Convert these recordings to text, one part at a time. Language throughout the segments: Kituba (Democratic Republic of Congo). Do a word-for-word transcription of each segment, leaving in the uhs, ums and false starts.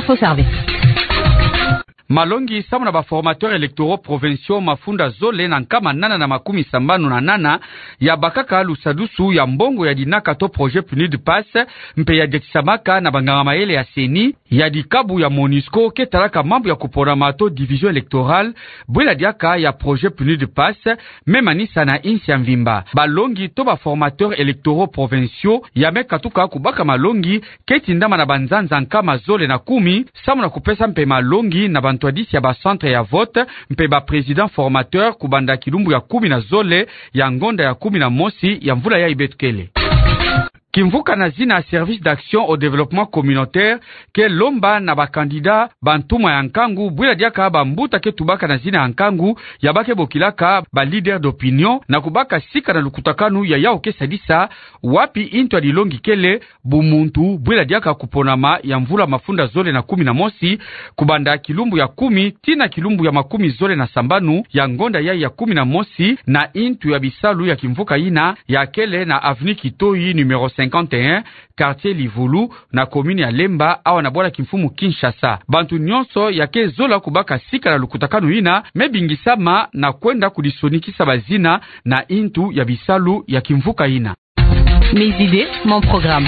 Faut servir. Malongi samu na ba formateurs électoraux provinciaux mafunda zole na nkama nana na makumi sambanu na nana ya bakaka lusadusu ya mbongo ya dinaka to projet PNUD PASS, mpe ya diatisamaka na banganga-mayele ya CENI, ya dikabu ya MONUSCO ke talaka mambu ya kuponama to division électorale, bwela diaka ya projet PNUD PASS, me manisa na insi ya mvimba. Balongi to ba formateurs électoraux provinciaux ya me katuka kubaka malongi ke tindama na banzanza nkama zole na kumi, samu na kupesa mpe malongi na bantwadisi ya ba centres ya vote, mpe ba présidents formateurs kubanda kilumbu ya kumi na zole ya ngonda ya kumi na mosi ya mvula yayi beto kele. Kimvuka na zina Service d'action au développement communautaire ke lomba na ba candidats ba ntumwa ya nkangu, bwela diaka bambuta ke tubaka na zina ya nkangu, ya ba ke bokilaka ba leaders d'opinion, na kubaka sika na lukutakanu ya yawu ke sadisa wapi intu ya dilongi kele bumuntu, bwela diaka kuponama ya mvula mafunda zole na kumi na mosi, kubanda kilumbu ya kumi tii na kilumbu ya makumi zole na sambanu ya ngonda yayi ya kumi na mosi, na intu ya bisalu ya kimvuka yina ya kele na avenue Kitoyi numéro cinquante et un, quartier Livulu, na commune ya Lemba, awa na bwala kimfumu Kinshasa. Bantu nyonso ya ke zola kubaka sika na lukutakanu yina me bingisama na kwenda kudisonikisa bazina na intu ya bisalu ya kimvuka yina. Mes idées, mon programme.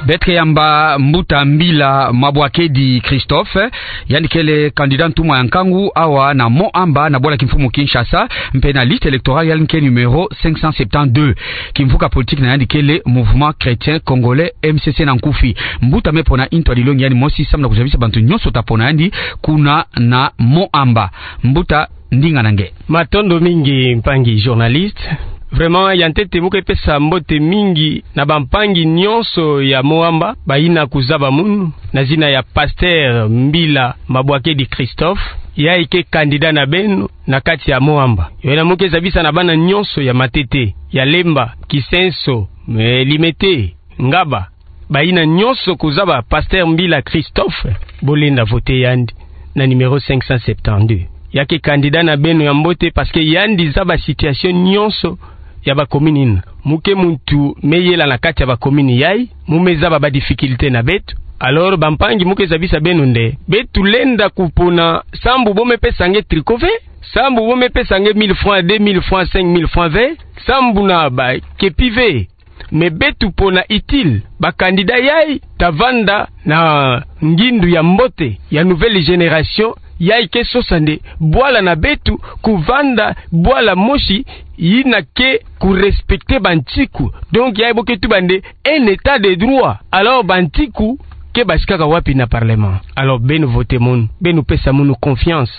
Beto ke yamba Mbuta Mbila Mabwakedi Christophe, yandi kele candidat ntumwa ya nkangu awa na Mont Amba na bwala kimfumu Kinshasa, mpe na liste électorale ya yandi ke numéro cinq cent septante-deux. Kimvuka politique na yandi kele Mouvement Chrétien Congolais, M C C na nkufi. Mbuta me pona intu ya dilongi ya yandi mosi samu na kuzabisa bantu nyonso ta pona yandi kuna na Mont Amba. Mbuta, ndinga na nge. Matondo mingi, mpangi journaliste. Vraiment, ya ntete mu ke pesa mbote mingi na bampangi nyonso ya Mont Amba, bayina kuzaba munu na zina ya Pasteur Mbila Mabwakedi Christophe, yayi ke candidat na beno na kati ya Mont Amba. Yo yina mu ke zabisa na bana nyonso ya Matete, ya Lemba, Kisenso, eh, Limete, Ngaba, bayina nyonso kuzaba Pasteur Mbila Christophe, bolenda voter yandi na numéro cinq cent septante-deux. Ya ke candidat na beno ya mbote parce que yandi zaba situation nyonso ya ba commune yina. Mu ke muntu me yela na kati ya ba commune yayi, mu me zaba ba difficulté na beto. Alors, bampangi, mu ke zabisa beno nde beto lenda kupona sambu bo me pesa nge tricot ve, sambu bo me pesa nge mille francs, deux mille francs, cinq mille francs ve, sambu na ba kepi ve. Mais beto pona utile, ba candidat yayi ta vanda na ngindu ya mbote ya nouvelle génération, yayi ke sosa nde bwala na beto kuvanda bwala mosi yina ke ku respecter bantiku. Donc yayi bo ke tuba nde un état de droit. Alors bantiku ke basikaka wapi na parlement? Alors beno voter munu, beno pesa munu confiance,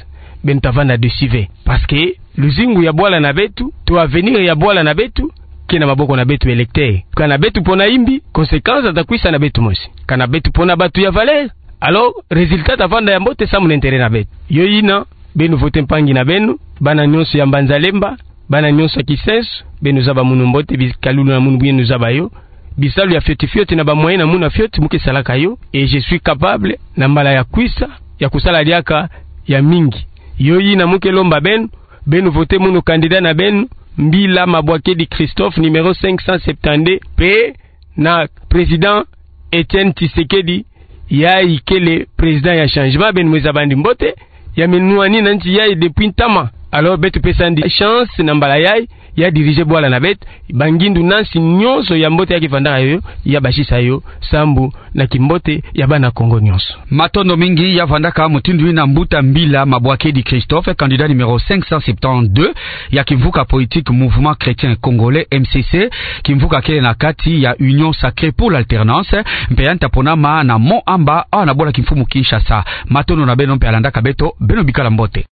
beno ta vanda dessus ve. Parce que luzingu ya bwala na beto, to avenir ya bwala na beto, ke na maboko na beto électeur. Kana beto pona imbi, conséquence ta kwisa na beto mosi. Kana beto pona batu ya valeur, alors résultat ta vanda ya mbote samu na intérêt na beto. Yo yina, beno voter mpangi na beno, bana nyonso ya Mbanza Lemba, bana nyonso ya Kisenso, beno zaba munu mbote, bikalulu na munu beno zaba yo. Bisalu ya fioti fioti na ba moyen na munu ya fioti mu ke salaka yo, et je suis capable, na mbala ya kwisa, ya kusala diaka ya mingi. Yo yina mu ke lomba beno, beno voter munu candidat na beno, Mbila Mabwakedi Christophe, numéro cinq cent septante-deux, mpe na président Etienne Tshisekedi, yayi kele président ya changement, beno me zaba yandi mbote, ya me nwanina nti yayi depuis ntama. Alors beto pesa yandi chance na mbala yayi, ya diriger bwala na beto, bangindu na nsi nyonso ya mbote ya ke vandaka yo, ya basisa yo, sambu na kimbote ya bana Kongo nyonso. Matondo mingi. Ya vandaka mutindu yina Mbuta Mbila Mabwakedi Christophe, candidat numéro cinq cent septante-deux ya kimvuka politique Mouvement Chrétien Congolais, M C C, kimvuka kele na kati ya Union Sacrée pour l'Alternance, mpe yandi ta ponama na Mont Amba, awa na bwala kimfumu Kinshasa. Matondo na beno mpe ya landaka beto, beno bikala mbote.